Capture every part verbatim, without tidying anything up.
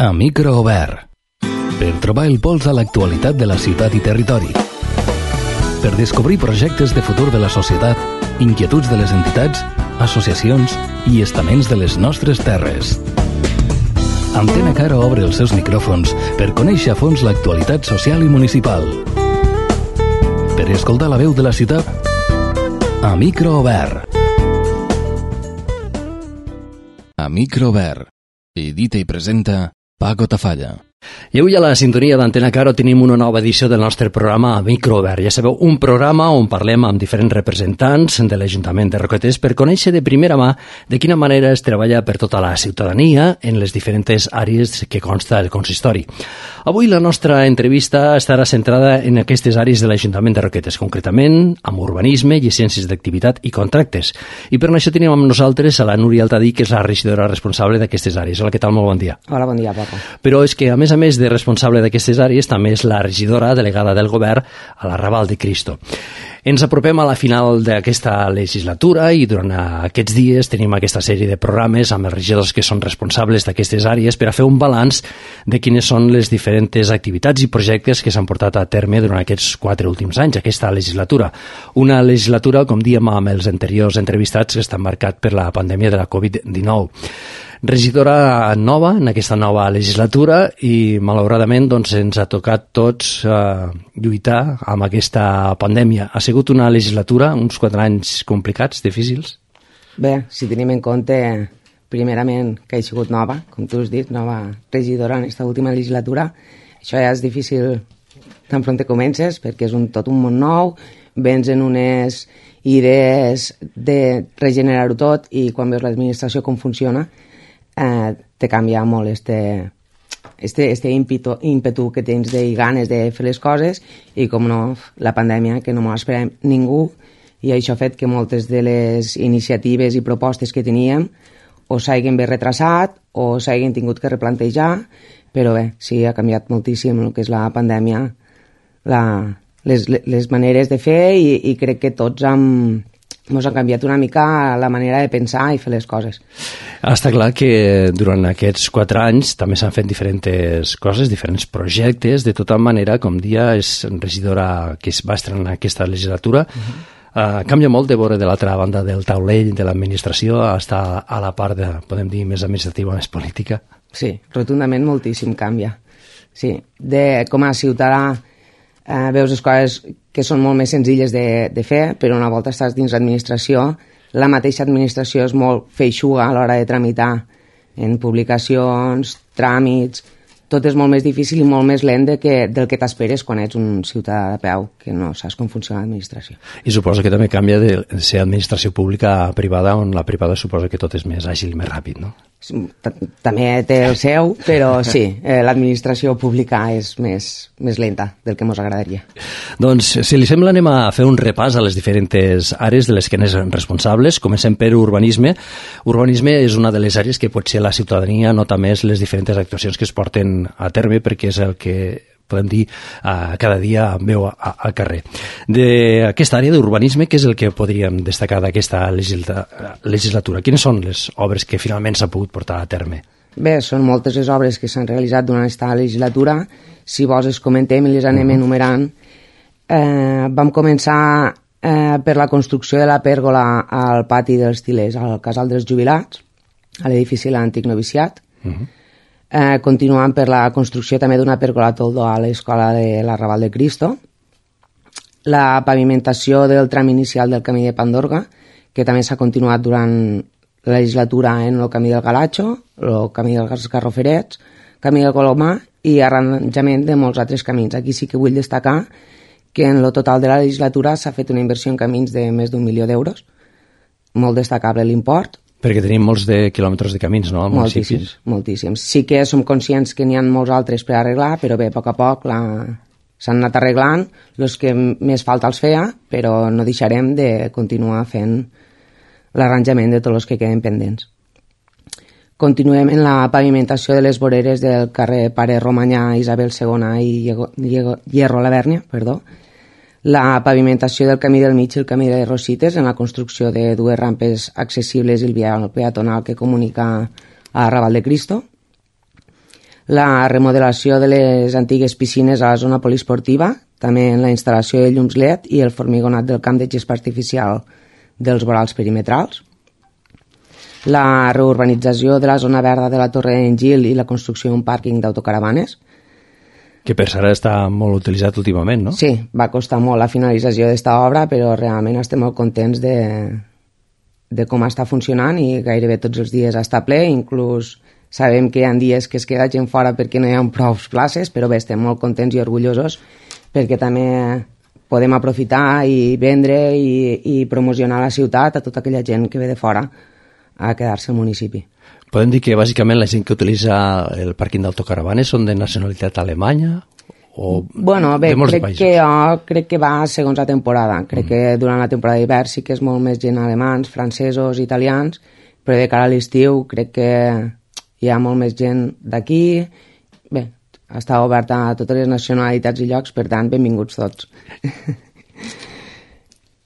A micro obert. Per trobar el pols a l'actualitat de la ciutat i territori. Per descobrir projectes de futur de la societat, inquietuds de les entitats, associacions i estaments de les nostres terres. Antena Caro obre els seus micròfons per conèixer a fons l'actualitat social i municipal. Per escoltar la veu de la ciutat, a micro obert. A micro obert. Edita i presenta Paco Tafalla. I avui a la sintonia d'Antena Caro tenim una nova edició del nostre programa Microobert. Ja sabeu, un programa on parlem amb diferents representants de l'Ajuntament de Roquetes per conèixer de primera mà de quina manera es treballa per tota la ciutadania en les diferents àrees que consta el consistori. Avui la nostra entrevista estarà centrada en aquestes àrees de l'Ajuntament de Roquetes, concretament amb urbanisme, llicències d'activitat i contractes. I per això tenim amb nosaltres a la Núria Altadí, que és la regidora responsable d'aquestes àrees. Hola, què tal? Molt bon dia. Hola, bon dia, Paco. Però és que, a més a més de responsable d'aquestes àrees, també és la regidora delegada del govern a la Raval de Cristo. Ens apropem a la final d'aquesta legislatura i durant aquests dies tenim aquesta sèrie de programes amb els regidors que són responsables d'aquestes àrees per a fer un balanç de quines són les diferents activitats i projectes que s'han portat a terme durant aquests quatre últims anys, aquesta legislatura. Una legislatura, com dèiem amb els anteriors entrevistats, que està marcat per la pandèmia de la covid dinou. Regidora nova en aquesta nova legislatura i malauradament doncs, ens ha tocat tots eh, lluitar amb aquesta pandèmia. Ha sigut una legislatura, uns quatre anys complicats, difícils? Bé, si tenim en compte primerament que he sigut nova, com tu has dit, nova regidora en aquesta última legislatura, això ja és difícil tan pront comences perquè és un, tot un món nou, vens en unes idees de regenerar-ho tot i quan veus l'administració com funciona Eh, te canvia molt este, este, este ímpetu, ímpetu que tens de ganes de fer les coses i, com no, la pandèmia, que no m'ho esperem ningú, i això ha fet que moltes de les iniciatives i propostes que teníem o s'hagin bé retrasat o s'hagin tingut que replantejar, però bé, sí, ha canviat moltíssim el que és la pandèmia, la, les, les maneres de fer i, i crec que tots hem... ens ha canviat una mica la manera de pensar i fer les coses. Està clar que durant aquests quatre anys també s'han fet diferents coses, diferents projectes, de tota manera, com dia és regidora que es va estrenar aquesta legislatura, uh-huh. uh, canvia molt de veure de l'altra banda del taulell de l'administració a estar a la part de, podem dir, més administrativa, més política. Sí, rotundament moltíssim canvia. Sí, de, com a ciutadà Uh, veus les coses que són molt més senzilles de, de fer, però una volta estàs dins l'administració, la mateixa administració és molt feixuga a l'hora de tramitar en publicacions, tràmits, tot és molt més difícil i molt més lent de que, del que t'esperes quan ets un ciutadà de peu, que no saps com funciona l'administració. I suposo que també canvia de ser administració pública a privada, on la privada suposa que tot és més àgil i més ràpid, no? També té el seu, però sí, eh, l'administració pública és més, més lenta del que ens agradaria. Doncs, si li sembla, anem a fer un repàs a les diferents àrees de les que n'és responsables. Comencem per urbanisme. Urbanisme és una de les àrees que potser la ciutadania nota més les diferents actuacions que es porten a terme, perquè és el que podem dir, uh, cada dia veu al carrer. D'aquesta àrea d'urbanisme, què és el que podríem destacar d'aquesta legislatura? Quines són les obres que finalment s'ha pogut portar a terme? Bé, són moltes les obres que s'han realitzat durant aquesta legislatura. Si vols les comentem i les anem uh-huh. enumerant. Eh, vam començar eh, per la construcció de la pèrgola al pati dels Tilers, al Casal dels Jubilats, a l'edifici de l'antic noviciat. Uh-huh. Eh, continuant per la construcció també d'una pèrgola a toldo a l'escola de la Raval de Cristo, la pavimentació del tram inicial del camí de Pandorga, que també s'ha continuat durant la legislatura en el camí del Galatxo, el camí dels Garroferets, camí del Colomà i arranjament de molts altres camins. Aquí sí que vull destacar que en el total de la legislatura s'ha fet una inversió en camins de més d'un milió d'euros, molt destacable l'import. Perquè tenim molts de quilòmetres de camins, no? Moltíssims, moltíssims. Sí que som conscients que n'hi ha molts altres per arreglar, però bé, a poc a poc la... s'han anat arreglant, els que més falta els feia, però no deixarem de continuar fent l'arranjament de tots els que queden pendents. Continuem en la pavimentació de les voreres del carrer Pare Romanyà, Isabel segona i Hierro Lavèrnia, perdó, la pavimentació del camí del mig i el camí de Rosites en la construcció de dues rampes accessibles i el vial peatonal que comunica a Raval de Cristo, la remodelació de les antigues piscines a la zona poliesportiva, també la instal·lació de llums L E D i el formigonat del camp de gespa artificial dels vorals perimetrals, la reurbanització de la zona verda de la Torre d'en Gil i la construcció d'un pàrquing d'autocaravanes. Que per cert està molt utilitzat últimament, no? Sí, va costar molt la finalització d'esta obra, però realment estem molt contents de, de com està funcionant i gairebé tots els dies està ple, inclús sabem que hi ha dies que es queda gent fora perquè no hi ha prou places, però bé, estem molt contents i orgullosos perquè també podem aprofitar i vendre i, i promocionar la ciutat a tota aquella gent que ve de fora a quedar-se al municipi. Podem dir que bàsicament la gent que utilitza el pàrquing d'autocaravanes són de nacionalitat alemanya o bueno, bé, de molts crec països? Que jo crec que va segons la temporada. Crec mm. que durant la temporada d'hivern sí que és molt més gent alemans, francesos, italians, però de cara a l'estiu crec que hi ha molt més gent d'aquí. Bé, està oberta a totes les nacionalitats i llocs, per tant, benvinguts tots.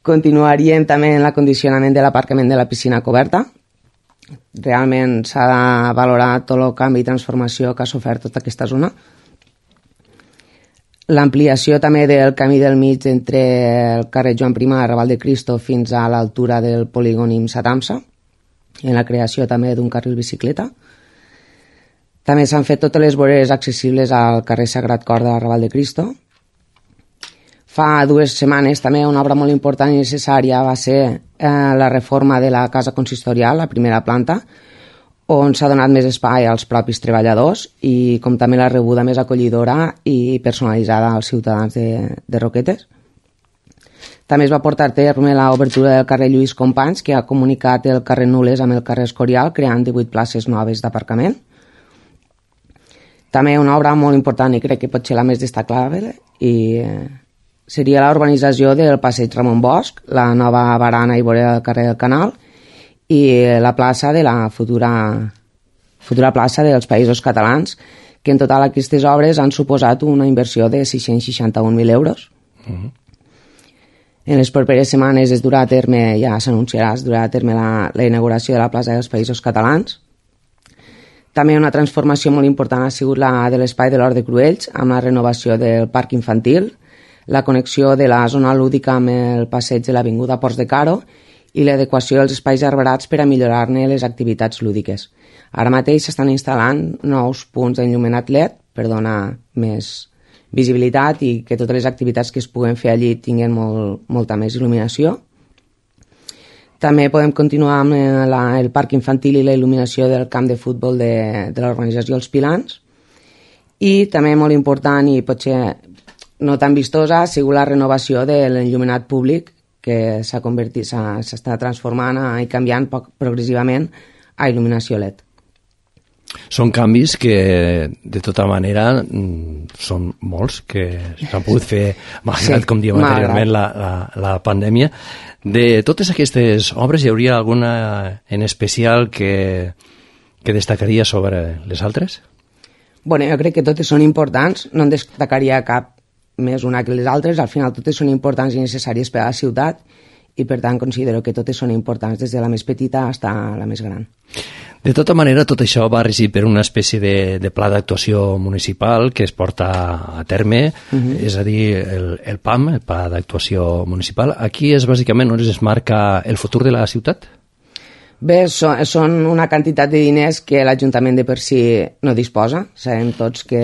Continuaríem també en l'acondicionament de l'aparcament de la piscina coberta. Realment s'ha de valorar tot el canvi i transformació que ha sofert tota aquesta zona. L'ampliació també del camí del mig entre el carrer Joan I a Raval de Cristo fins a l'altura del polígon IMSA-TAMSA, en la creació també d'un carril bicicleta. També s'han fet totes les voreres accessibles al carrer Sagrat Cor de Raval de Cristo. Fa dues setmanes també una obra molt important i necessària va ser eh, la reforma de la casa consistorial, la primera planta, on s'ha donat més espai als propis treballadors i com també la rebuda més acollidora i personalitzada als ciutadans de, de Roquetes. També es va portar a terme l'obertura del carrer Lluís Companys, que ha comunicat el carrer Nules amb el carrer Escorial, creant divuit places noves d'aparcament. També una obra molt important i crec que pot ser la més destacable i seria la urbanització del passeig Ramon Bosch, la nova barana i vorera del carrer del Canal i la plaça de la futura, futura plaça dels Països Catalans, que en total aquestes obres han suposat una inversió de sis-cents seixanta-un mil euros. Uh-huh. En les properes setmanes es durà a terme, ja s'anunciarà, es durà a terme la, la inauguració de la plaça dels Països Catalans. També una transformació molt important ha sigut la de l'espai de l'Hort de Cruells, amb la renovació del parc infantil, la connexió de la zona lúdica amb el passeig de l'Avinguda Ports de Caro i l'adequació dels espais arbrats per a millorar-ne les activitats lúdiques. Ara mateix s'estan instal·lant nous punts d'enllumenat L E D per donar més visibilitat i que totes les activitats que es puguen fer allí tinguin molt, molta més il·luminació. També podem continuar amb la, el parc infantil i la il·luminació del camp de futbol de, de l'organització Els Pilans. I també molt important i potser no tan vistosa ha sigut la renovació de l'enllumenat públic que s'ha convertit, s'està transformant i canviant poc, progressivament a il·luminació L E D. Són canvis que, de tota manera, són molts, que s'han pogut fer, malgrat, sí, com diem anteriorment, la, la, la pandèmia. De totes aquestes obres, hi hauria alguna en especial que, que destacaria sobre les altres? Bueno, jo crec que totes són importants, no en destacaria cap més una que les altres, al final totes són importants i necessàries per a la ciutat i per tant considero que totes són importants des de la més petita fins a la més gran. De tota manera, tot això va regir per una espècie de, de pla d'actuació municipal que es porta a terme, uh-huh. és a dir, el, el P A M, el Pla d'Actuació Municipal. Aquí és bàsicament on es marca el futur de la ciutat? Bé, so, són una quantitat de diners que l'Ajuntament de per si no disposa. Sabem tots que,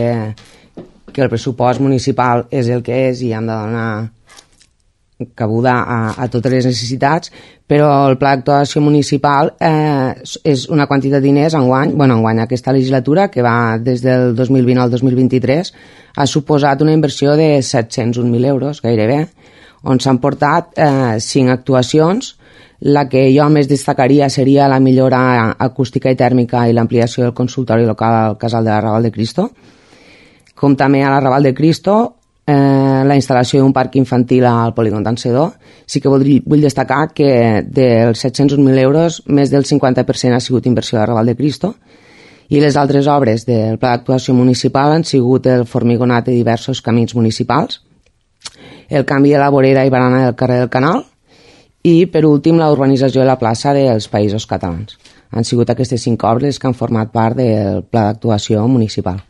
que el pressupost municipal és el que és i hem de donar cabuda a, a totes les necessitats, però el Pla d'actuació municipal eh, és una quantitat de diners enguany, bueno, enguany aquesta legislatura, que va des del dos mil vint al dos mil vint-i-tres, ha suposat una inversió de set-cents un mil euros, gairebé, on s'han portat eh, cinc actuacions. La que jo més destacaria seria la millora acústica i tèrmica i l'ampliació del consultori local al casal de la Raval de Cristo, com també a la Raval de Cristo, Eh, la instal·lació d'un parc infantil al polígon d'Encedó. Sí que vull, vull destacar que dels set-cents un mil euros, més del cinquanta per cent ha sigut inversió de Raval de Cristo i les altres obres del Pla d'actuació municipal han sigut el formigonat de diversos camins municipals, el canvi de la vorera i barana del carrer del Canal i, per últim, la urbanització de la plaça dels Països Catalans. Han sigut aquestes cinc obres que han format part del Pla d'actuació municipal.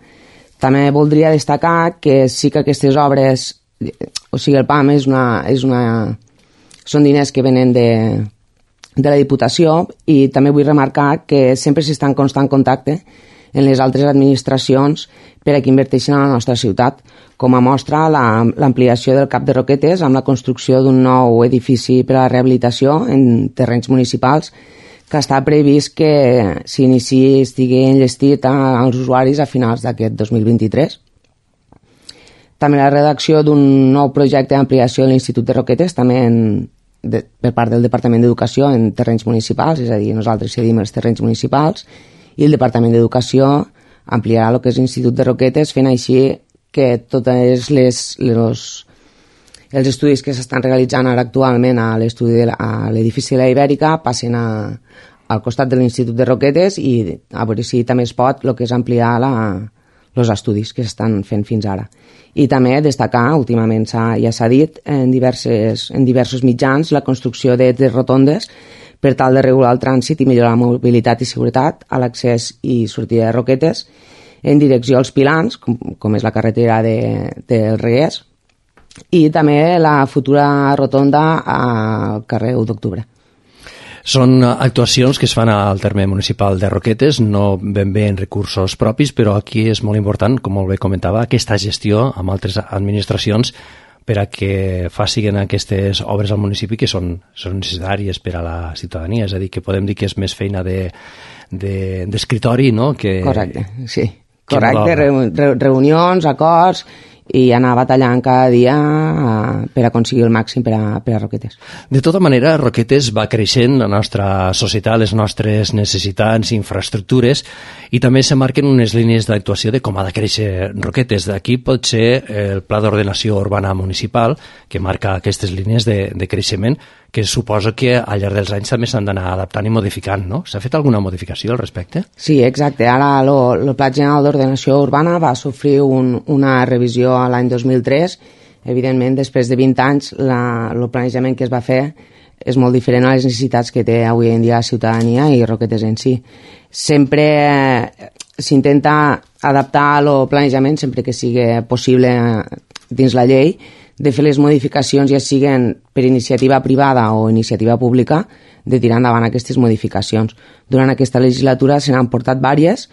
També voldria destacar que sí que aquestes obres, o sigui, el P A M és una, és una, són diners que venen de, de la Diputació, i també vull remarcar que sempre s'està en constant contacte en les altres administracions per a que inverteixin a la nostra ciutat. Com a mostra, l'ampliació del Cap de Roquetes amb la construcció d'un nou edifici per a la rehabilitació en terrenys municipals, que està previst que s'iniciï, estigui enllestit als usuaris a finals d'aquest dos mil vint-i-tres. També la redacció d'un nou projecte d'ampliació de l'Institut de Roquetes, també en, de, per part del Departament d'Educació en terrenys municipals, és a dir, nosaltres cedim els terrenys municipals, i el Departament d'Educació ampliarà el que és l'Institut de Roquetes, fent així que totes les, les, els estudis que s'estan realitzant ara actualment a l'estudi de la, a l'edifici de la Ibèrica passen a, al costat de l'Institut de Roquetes, i a veure si també es pot el que és ampliar la, els estudis que s'estan fent fins ara. I també destacar, últimament ja s'ha dit en, diverses, en diversos mitjans, la construcció de tres rotondes per tal de regular el trànsit i millorar la mobilitat i seguretat a l'accés i sortida de Roquetes en direcció als Pilans, com, com és la carretera de, del Reguers, i també la futura rotonda al carrer u d'octubre. Són actuacions que es fan al terme municipal de Roquetes, no ben bé en recursos propis, però aquí és molt important, com molt bé comentava, aquesta gestió amb altres administracions per a que facin aquestes obres al municipi que són, són necessàries per a la ciutadania. És a dir, que podem dir que és més feina d'escritori, de, de, no? Que, correcte, sí. Correcte, no reunions, acords, i anar batallant cada dia per aconseguir el màxim per a, per a Roquetes. De tota manera, Roquetes va creixent, la nostra societat, les nostres necessitats, infraestructures, i també se marquen unes línies d'actuació de com ha de créixer Roquetes. D'aquí pot ser el Pla d'Ordenació Urbana Municipal, que marca aquestes línies de, de creixement, que suposo que al llarg dels anys també s'han d'anar adaptant i modificant, no? S'ha fet alguna modificació al respecte? Sí, exacte. Ara el Pla General d'Ordenació Urbana va sofrir un, una revisió l'any dos mil tres. Evidentment, després de vint anys, la, el planejament que es va fer és molt diferent a les necessitats que té avui en dia la ciutadania i Roquetes en si. Sempre s'intenta adaptar el planejament, sempre que sigui possible dins la llei, de fer les modificacions, ja siguen per iniciativa privada o iniciativa pública, de tirar endavant aquestes modificacions. Durant aquesta legislatura se n'han portat diverses.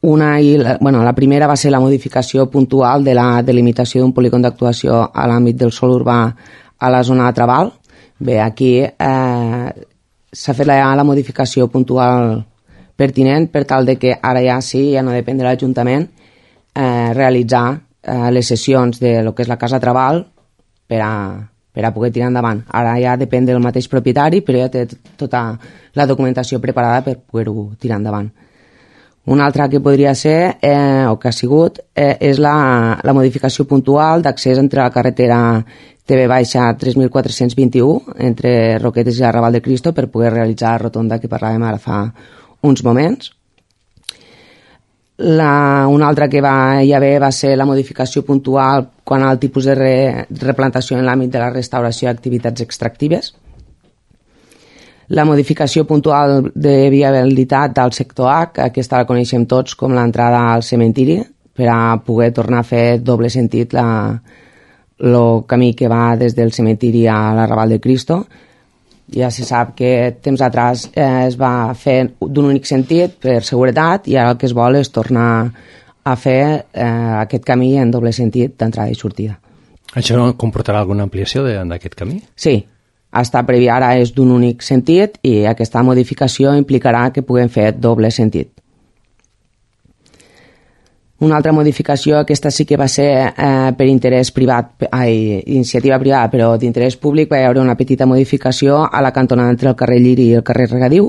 Una, i la, bueno, la primera va ser la modificació puntual de la delimitació d'un polígon d'actuació a l'àmbit del sòl urbà a la zona de Trabal. Bé, aquí eh, s'ha fet la, la modificació puntual pertinent per tal de que ara ja sí, ja no depèn de l'Ajuntament, eh, realitzar eh, les sessions de lo que és la Casa Trabal per a, per a poder tirar endavant. Ara ja depèn del mateix propietari, però ja té tota la documentació preparada per poder-ho tirar endavant. Una altra que podria ser, eh, o que ha sigut, eh, és la, la modificació puntual d'accés entre la carretera T V tres mil quatre-cents vint-i-u entre Roquetes i Arrabal de Cristo per poder realitzar la rotonda que parlàvem ara fa uns moments. La, una altra que va hi haver va ser la modificació puntual quant al tipus de re, replantació en l'àmbit de la restauració i activitats extractives. La modificació puntual de viabilitat del sector H, aquesta la coneixem tots com l'entrada al cementiri, per a poder tornar a fer doble sentit el camí que va des del cementiri a l'Arrabal de Cristo. Ja se sap que temps atrás eh, es va fer d'un únic sentit per seguretat, i ara el que es vol és tornar a fer eh, aquest camí en doble sentit d'entrada i sortida. Això comportarà alguna ampliació d'aquest camí? Sí, està previ ara és d'un únic sentit, i aquesta modificació implicarà que puguem fer doble sentit. Una altra modificació, aquesta sí que va ser eh, per interès privat, ai, iniciativa privada, però d'interès públic, va hi haver una petita modificació a la cantonada entre el carrer Lliri i el carrer Regadiu,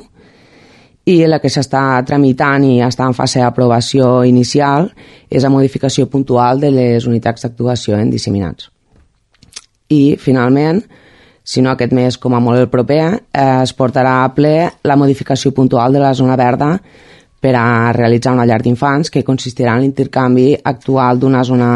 i la que s'està tramitant i està en fase d'aprovació inicial és la modificació puntual de les unitats d'actuació en disseminats. I, finalment, si no aquest mes com a molt el proper, eh, es portarà a ple la modificació puntual de la zona verda per a realitzar una llar d'infants que consistirà en l'intercanvi actual d'una zona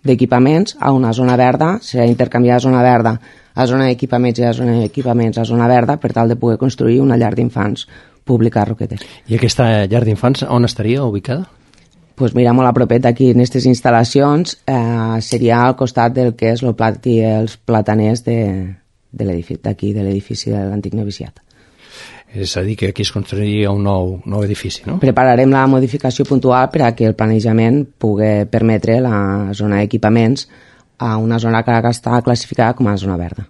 d'equipaments a una zona verda. Serà intercanviar zona verda a zona d'equipaments i a zona d'equipaments a zona verda per tal de poder construir una llar d'infants pública a Roquetes. I aquesta llar d'infants on estaria ubicada? pues mira, molt a propet aquí en aquestes instal·lacions, eh, seria al costat del que és el pati, els plataners de, de l'edifici d'aquí, de l'edifici de l'antic noviciat. És a dir, que aquí es construiria un nou, nou edifici, no? Prepararem la modificació puntual per a que el planejament pugui permetre la zona d'equipaments a una zona que ara està classificada com a zona verda.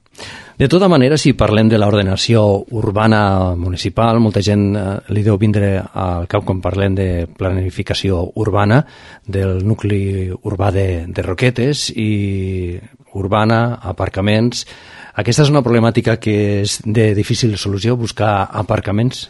De tota manera, si parlem de l'ordenació urbana municipal, molta gent eh, li deu vindre al cap quan parlem de planificació urbana del nucli urbà de, de Roquetes i urbana, aparcaments. Aquesta és una problemàtica que és de difícil solució, buscar aparcaments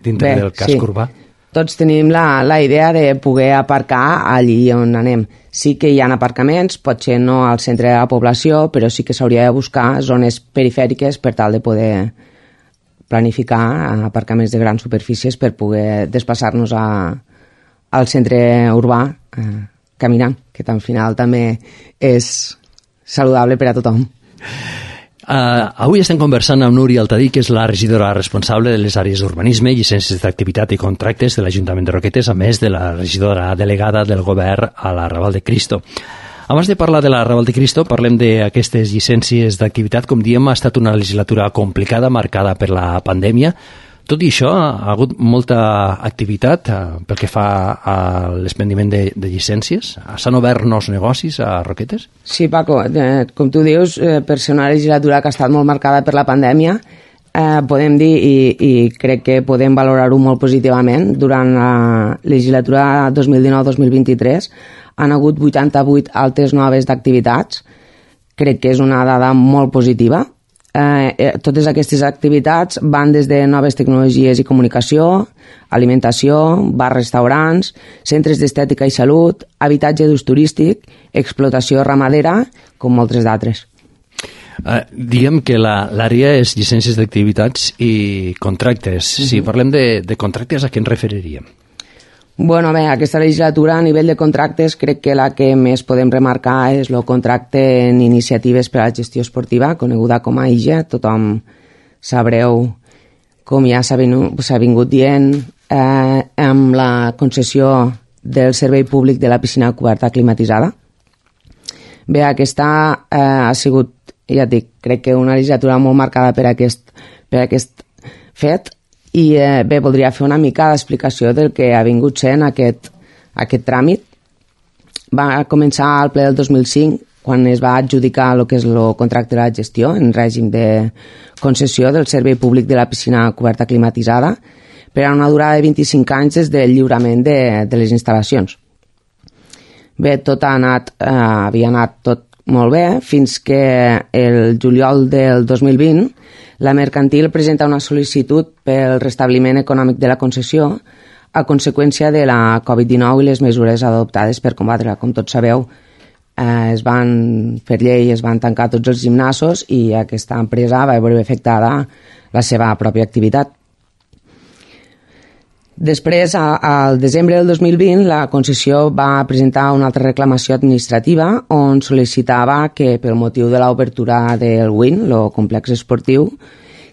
dintre Bé, del casc sí. urbà. Tots tenim la, la idea de poder aparcar allí on anem. Sí que hi ha aparcaments, potser no al centre de la població, però sí que s'hauria de buscar zones perifèriques per tal de poder planificar aparcaments de grans superfícies per poder desplaçar-nos a, al centre urbà eh, caminant, que al final també és saludable per a tothom. Uh, avui estem conversant amb Núria Altadí, que és la regidora responsable de les àrees d'urbanisme, llicències d'activitat i contractes de l'Ajuntament de Roquetes, a més de la regidora delegada del govern a la Raval de Cristo. Abans de parlar de la Raval de Cristo, parlem d'aquestes llicències d'activitat. Com diem, ha estat una legislatura complicada, marcada per la pandèmia. Tot i això, ha hagut molta activitat eh, pel que fa a l'expendiment de, de llicències. S'han obert nous negocis a Roquetes? Sí, Paco, eh, com tu dius, eh, per ser una legislatura que ha estat molt marcada per la pandèmia, eh, podem dir, i, i crec que podem valorar-ho molt positivament, durant la legislatura dos mil dinou dos mil vint-i-tres han hagut vuitanta-vuit altes noves d'activitats. Crec que és una dada molt positiva. Eh, totes aquestes activitats van des de noves tecnologies i comunicació, alimentació, bars, restaurants, centres d'estètica i salut, habitatge d'ús turístic, explotació ramadera, com moltes d'altres. Uh, diem que l'àrea és llicències d'activitats i contractes. Uh-huh. Si parlem de, de contractes, a què ens referiríem? Bueno, bé, aquesta legislatura a nivell de contractes crec que la que més podem remarcar és el contracte en iniciatives per a la gestió esportiva, coneguda com a I G E. Tothom sabreu, com ja s'ha vingut, vingut dient, eh, amb la concessió del servei públic de la piscina coberta climatitzada. Bé, aquesta eh, ha sigut, ja et dic, crec que una legislatura molt marcada per aquest, per aquest fet. I eh, bé, voldria fer una mica d'explicació del que ha vingut sent aquest, aquest tràmit. Va començar al ple del dos mil cinc, quan es va adjudicar el que és el contracte de la gestió en règim de concessió del servei públic de la piscina coberta climatitzada per a una durada de vint-i-cinc anys des del lliurament de, de les instal·lacions. Bé, tot ha anat, eh, havia anat tot molt bé, fins que el juliol del dos mil vint la mercantil presenta una sol·licitud pel restabliment econòmic de la concessió a conseqüència de la covid dinou i les mesures adoptades per combatre-la. Com tots sabeu, eh, es van fer llei, es van tancar tots els gimnasos i aquesta empresa va veure afectada la seva pròpia activitat. Després, al desembre del dos mil vint, la concessió va presentar una altra reclamació administrativa on sol·licitava que, pel motiu de l'obertura del W I N, el complex esportiu,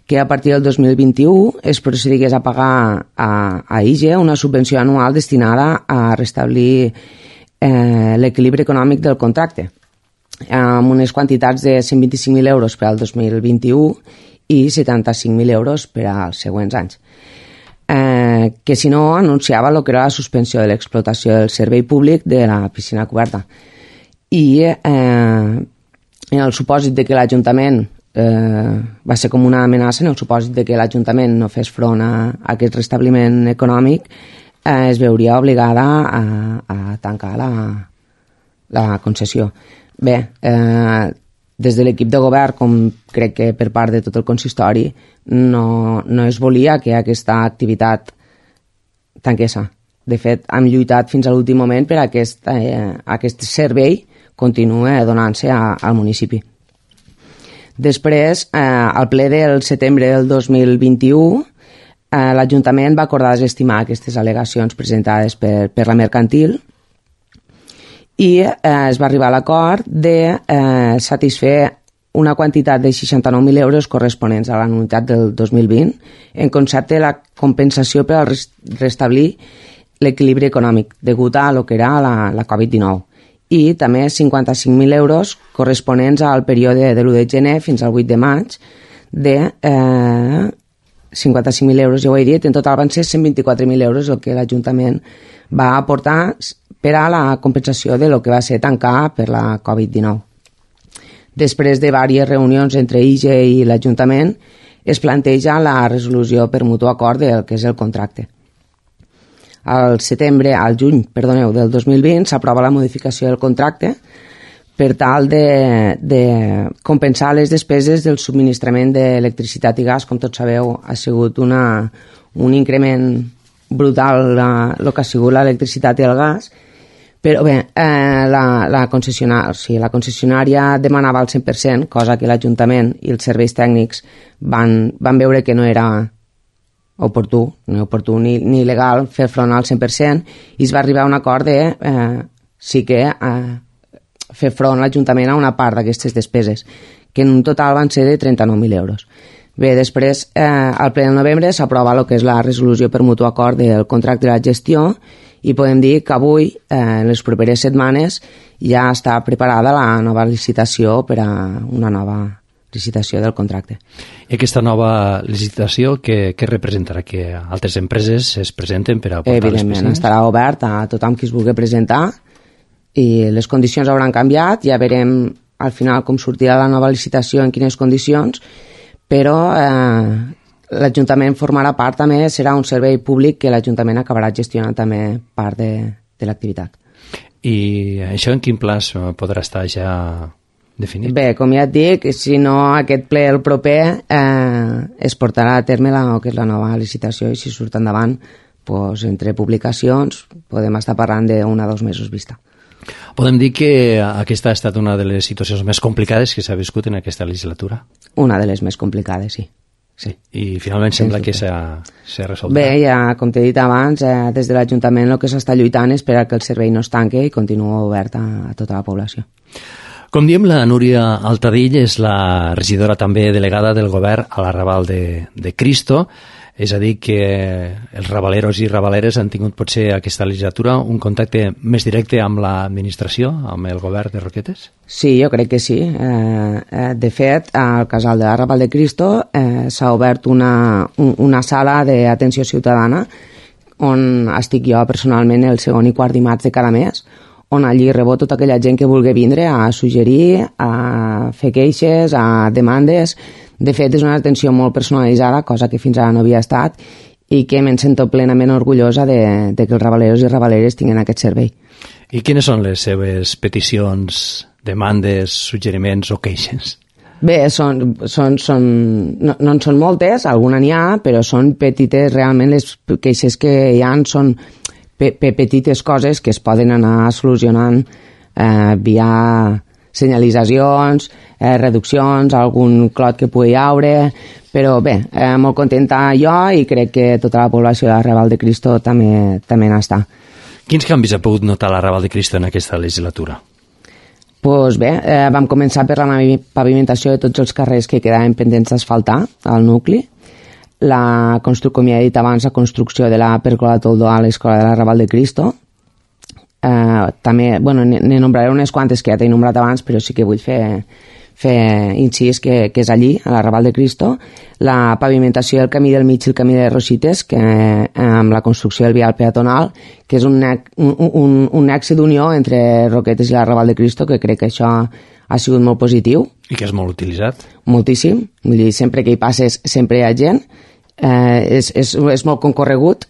que a partir del dos mil vint-i-u es procedigués a pagar a, a I G E una subvenció anual destinada a restablir eh, l'equilibri econòmic del contracte, amb unes quantitats de cent vint-i-cinc mil euros per al dos mil vint-i-u i setanta-cinc mil euros per als següents anys. Eh, que si no anunciava el que era la suspensió de l'explotació del servei públic de la piscina coberta. I eh, en el supòsit de que l'Ajuntament eh, va ser com una amenaça, en el supòsit de que l'Ajuntament no fes front a, a aquest restabliment econòmic, eh, es veuria obligada a, a tancar la, la concessió. Bé, eh, des de l'equip de govern, com crec que per part de tot el consistori, no, no es volia que aquesta activitat tanqués. De fet, hem lluitat fins a l'últim moment per a aquest, eh, aquest servei continuï donant-se al municipi. Després, eh, al ple del setembre del dos mil vint-i-u, eh, l'Ajuntament va acordar desestimar aquestes al·legacions presentades per, per la mercantil i eh, es va arribar a l'acord de eh, satisfer una quantitat de seixanta-nou mil euros corresponents a l'anualitat del dos mil vint en concepte de la compensació per al restablir l'equilibri econòmic degut a lo que era la, la covid dinou. I també cinquanta-cinc mil euros corresponents al període de l'u de gener fins al vuit de maig de eh, cinquanta-cinc mil euros, ja ho he dit, en total van ser cent vint-i-quatre mil euros el que l'Ajuntament va aportar per a la compensació de lo que va ser tancar per la covid dinou. Després de diverses reunions entre I G E i l'Ajuntament, es planteja la resolució per mutu acord del que és el contracte. Al setembre, al juny, perdoneu, del dos mil vint s'aprova la modificació del contracte per tal de, de compensar les despeses del subministrament d'electricitat i gas. Com tots sabeu, ha sigut una, un increment brutal el que ha sigut l'electricitat i el gas, però bé, eh, la, la, concessionària, o sigui, la concessionària demanava el cent per cent, cosa que l'Ajuntament i els serveis tècnics van, van veure que no era oportú, ni oportú ni, ni legal fer front al cent per cent, i es va arribar a un acord de eh, sí que eh, fer front l'Ajuntament a una part d'aquestes despeses, que en un total van ser de trenta-nou mil euros. Bé, després, eh, al ple de novembre s'aprova el que és la resolució per mutu acord del contracte de la gestió, i podem dir que avui, eh, en les properes setmanes, ja està preparada la nova licitació per a una nova licitació del contracte. I aquesta nova licitació, què, què representarà? Que altres empreses es presenten per a aportar les piscines? Evidentment, estarà obert a tothom qui es vulgui presentar, i les condicions hauran canviat, ja veurem al final com sortirà la nova licitació, en quines condicions, però eh, l'Ajuntament formarà part també, serà un servei públic que l'Ajuntament acabarà gestionant també part de, de l'activitat. I això en quin plaç podrà estar ja definit? Bé, com ja et dic, si no aquest ple el proper eh, es portarà a terme la, que és la nova licitació, i si surt endavant, doncs, entre publicacions podem estar parlant d'un a dos mesos vista. Podem dir que aquesta ha estat una de les situacions més complicades que s'ha viscut en aquesta legislatura? Una de les més complicades, sí. Sí. I finalment sembla que s'ha resolt. Bé, ja, com t'he dit abans, eh, des de l'Ajuntament el que s'està lluitant és per que el servei no es tanqui i continua obert a, a tota la població. Com diem, la Núria Altadill és la regidora també delegada del govern a l'Arrabal de, de Cristo. És a dir, que els rabaleros i rabaleres han tingut potser aquesta legislatura un contacte més directe amb l'administració, amb el govern de Roquetes? Sí, jo crec que sí. Eh, de fet, al casal de l'Arrabal de Cristo eh, s'ha obert una, un, una sala d'atenció ciutadana on estic jo personalment el segon i quart dimarts de cada mes, on allí rebo tota aquella gent que vulgui vindre a suggerir, a fer queixes, a demandes. De fet, és una atenció molt personalitzada, cosa que fins ara no havia estat, i que me'n sento plenament orgullosa de, de que els rabaleros i rabaleres tinguin aquest servei. I quines són les seves peticions, demandes, suggeriments o queixes? Bé, són, són, són, no, no en són moltes, alguna n'hi ha, però són petites, realment les queixes que hi ha són pe, pe, petites coses que es poden anar solucionant eh, via senyalitzacions, eh, reduccions, algun clot que pugui haure, però bé, eh, molt contenta jo i crec que tota la població de l'Arrabal de Cristo també, també n'està. Quins canvis ha pogut notar l'Arrabal de Cristo en aquesta legislatura? Pues bé, eh, vam començar per la pavimentació de tots els carrers que quedaven pendents d'asfaltar al nucli, la construcció, com ja he dit abans, la construcció de la pèrgola Toldó a l'escola de l'Arrabal de Cristo. Uh, també, bueno, ne nombraré unes quantes que ja t'he nombrat abans, però sí que vull fer, fer incís que, que és allí, a l'Arrabal de Cristo, la pavimentació del camí del mig i el camí de Rosites, que, eh, amb la construcció del vial peatonal, que és un, un, un, un nexe d'unió entre Roquetes i l'Arrabal de Cristo, que crec que això ha sigut molt positiu. I que és molt utilitzat. Moltíssim, vull dir, sempre que hi passes sempre hi ha gent, eh, és, és, és molt concorregut.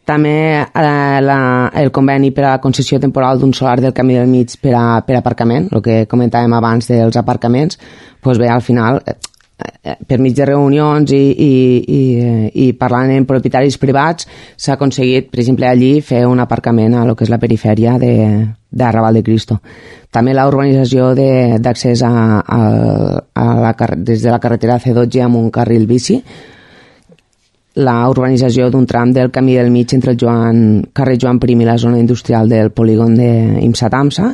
També eh, la, el conveni per a la concessió temporal d'un solar del camí del mig per a, per a aparcament, el que comentàvem abans dels aparcaments, doncs bé, al final, eh, per mig de reunions i, i, i, i parlant amb propietaris privats, s'ha aconseguit, per exemple, allí fer un aparcament a lo que és la perifèria de, d'Arrabal de Cristo. També la urbanització d'accés a, a, a la, des de la carretera C dotze amb un carril bici, la urbanització d'un tram del camí del mig entre el Joan, carrer Joan Prim i la zona industrial del polígon d'Imsa-Tamsa.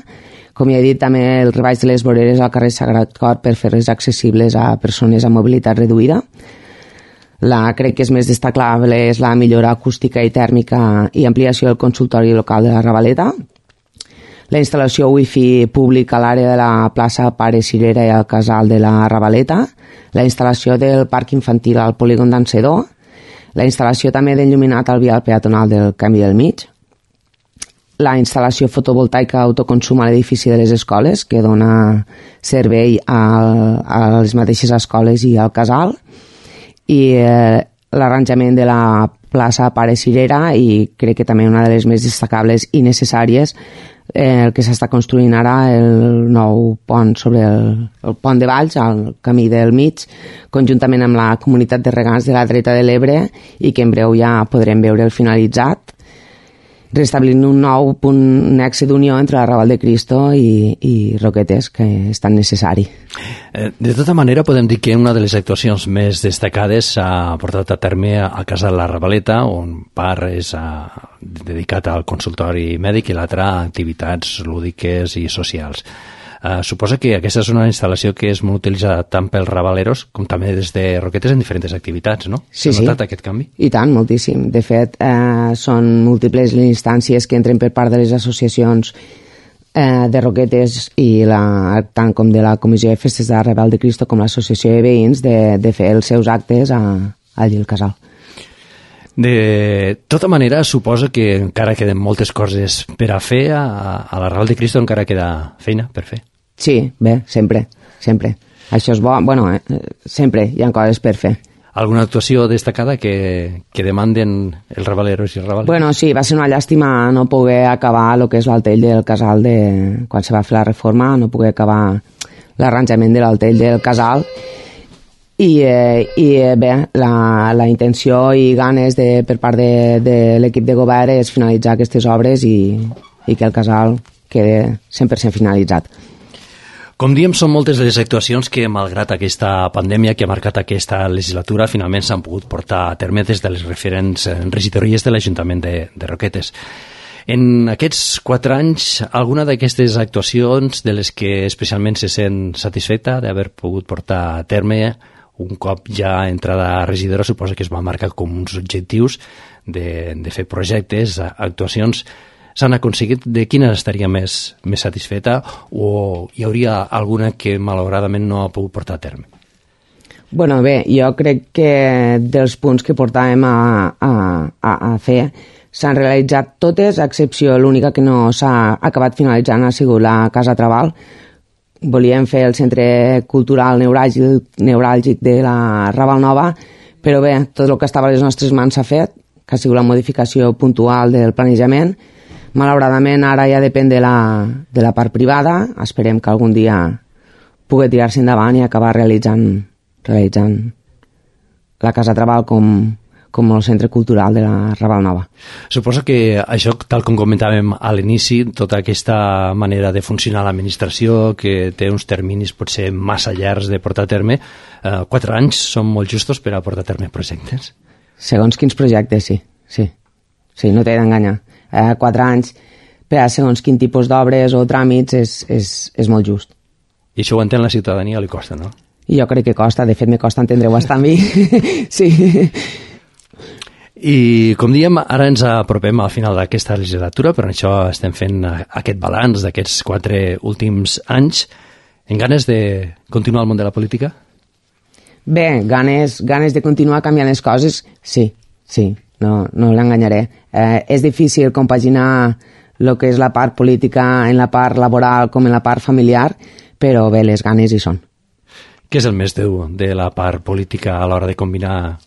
Com ja he dit, també el rebaix de les voreres al carrer Sagrat Cor per fer-les accessibles a persones amb mobilitat reduïda. La, crec que és més destacable és la millora acústica i tèrmica i ampliació del consultori local de la Ravaleta, la instal·lació wifi públic a l'àrea de la plaça Pare Cirera i al casal de la Ravaleta, la instal·lació del parc infantil al polígon d'Encedó, la instal·lació també d'enlluminat al vial peatonal del Camí del Mig, la instal·lació fotovoltaica autoconsum a l'edifici de les escoles, que dona servei a, a les mateixes escoles i al casal, i eh, l'arranjament de la plaça Pare Cirera, i crec que també una de les més destacables i necessàries, eh, el que s'està construint ara, el nou pont sobre el, el pont de Valls, al Camí del Mig, conjuntament amb la comunitat de regants de la dreta de l'Ebre, i que en breu ja podrem veure el finalitzat, restablint un nou punt nexe d'unió entre la Raval de Cristo i, i Roquetes, que és tan necessari. De tota manera, podem dir que una de les actuacions més destacades s'ha portat a terme a casa de la Ravaleta, on part és a, dedicat al consultori mèdic i l'altra a activitats lúdiques i socials. Uh, suposa que aquesta és una instal·lació que és molt utilitzada tant pels ravaleros com també des de Roquetes en diferents activitats, no? Sí, S'ha notat sí. aquest canvi? I tant, moltíssim. De fet, eh, són múltiples les instàncies que entren per part de les associacions eh, de Roquetes i la, tant com de la Comissió de Festes de la Raval de Cristo com l'Associació de Veïns de, de fer els seus actes a, allí al casal. De tota manera, suposo que encara queden moltes coses per a fer, a, a la Raval de Cristo encara queda feina per fer. Sí, bé, sempre, sempre. Això és bo, bueno, eh, sempre hi ha coses per fer. Alguna actuació destacada que, que demanden els ravaleros i ravales? Bueno, sí, va ser una llàstima no poder acabar el que és l'altell del casal de... Quan se va fer la reforma, no poder acabar l'arranjament de l'altell del casal. I, eh, i bé, la, la intenció i ganes de, per part de, de l'equip de govern és finalitzar aquestes obres i, i que el casal quede cent per cent finalitzat. Com diem, són moltes les actuacions que, malgrat aquesta pandèmia que ha marcat aquesta legislatura, finalment s'han pogut portar a terme des de les referents regidories de l'Ajuntament de, de Roquetes. En aquests quatre anys, alguna d'aquestes actuacions de les que especialment se sent satisfeta d'haver pogut portar a terme un cop ja entrada a regidora, suposa que es va marcar com uns objectius de, de fer projectes, actuacions. S'han aconseguit? De quina estaria més, més satisfeta o hi hauria alguna que malauradament no ha pogut portar a terme? Bueno, bé, jo crec que dels punts que portàvem a, a, a, a fer s'han realitzat totes, a excepció l'única que no s'ha acabat finalitzant ha sigut la Casa Trabal. Volíem fer el centre cultural neuràlgic, neuràlgic de la Raval Nova, però bé, tot el que estava a les nostres mans s'ha fet, que ha sigut la modificació puntual del planejament. Malauradament ara ja depèn de la, de la part privada, esperem que algun dia pugui tirar-se endavant i acabar realitzant, realitzant la Casa Trabal com, com el centre cultural de la Raval Nova. Suposo que això, tal com comentàvem a l'inici, tota aquesta manera de funcionar l'administració, que té uns terminis potser massa llargs de portar a terme, eh, quatre anys són molt justos per a portar a terme projectes? Segons quins projectes, sí. Sí, sí, no t'he d'enganyar. Eh, quatre anys per a segons quin tipus d'obres o tràmits és, és, és molt just. I això ho entén la ciutadania, li costa, no? I jo crec que costa, de fet me costa entendre-ho bastant bé. Sí. I com diem, ara ens apropem al final d'aquesta legislatura, per això estem fent aquest balanç d'aquests quatre últims anys. En ganes de continuar al món de la política? Bé, ganes, ganes de continuar canviant les coses, sí, sí, no, no l'enganyaré. Eh, és difícil compaginar el que és la part política en la part laboral com en la part familiar, però bé, les ganes hi són. Què és el més dur de la part política a l'hora de combinar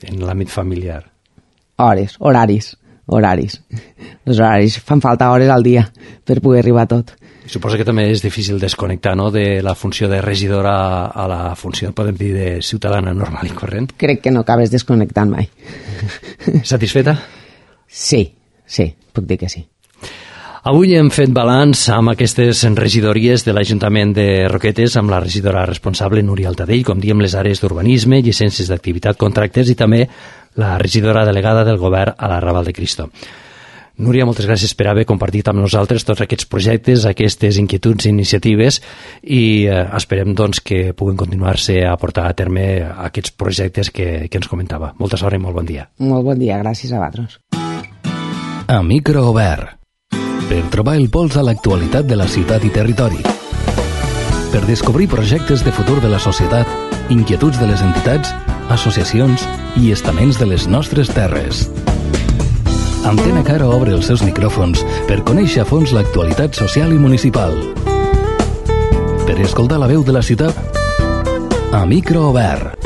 en l'àmbit familiar? Hores, horaris, horaris. Els horaris fan falta hores al dia per poder arribar a tot. Suposo que també és difícil desconnectar, no?, de la funció de regidora a la funció, podem dir, de ciutadana normal i corrent. Crec que no acabes desconnectant mai. Satisfeta? Sí, sí, puc dir que sí. Avui hem fet balanç amb aquestes regidories de l'Ajuntament de Roquetes, amb la regidora responsable Núria Altadell, com diem, les àrees d'urbanisme, llicències d'activitat, contractes i també la regidora delegada del govern a la Raval de Cristo. Núria, moltes gràcies per haver compartit amb nosaltres tots aquests projectes, aquestes inquietuds i iniciatives, i eh, esperem doncs, que puguin continuar-se a portar a terme aquests projectes que, que ens comentava. Molta sort i molt bon dia. Molt bon dia, gràcies a vosaltres. A micro obert. Per trobar el pols a l'actualitat de la ciutat i territori. Per descobrir projectes de futur de la societat, inquietuds de les entitats, associacions i estaments de les nostres terres. Antena Caro obre els seus micròfons per conèixer a fons l'actualitat social i municipal. Per escoltar la veu de la ciutat, a micro obert.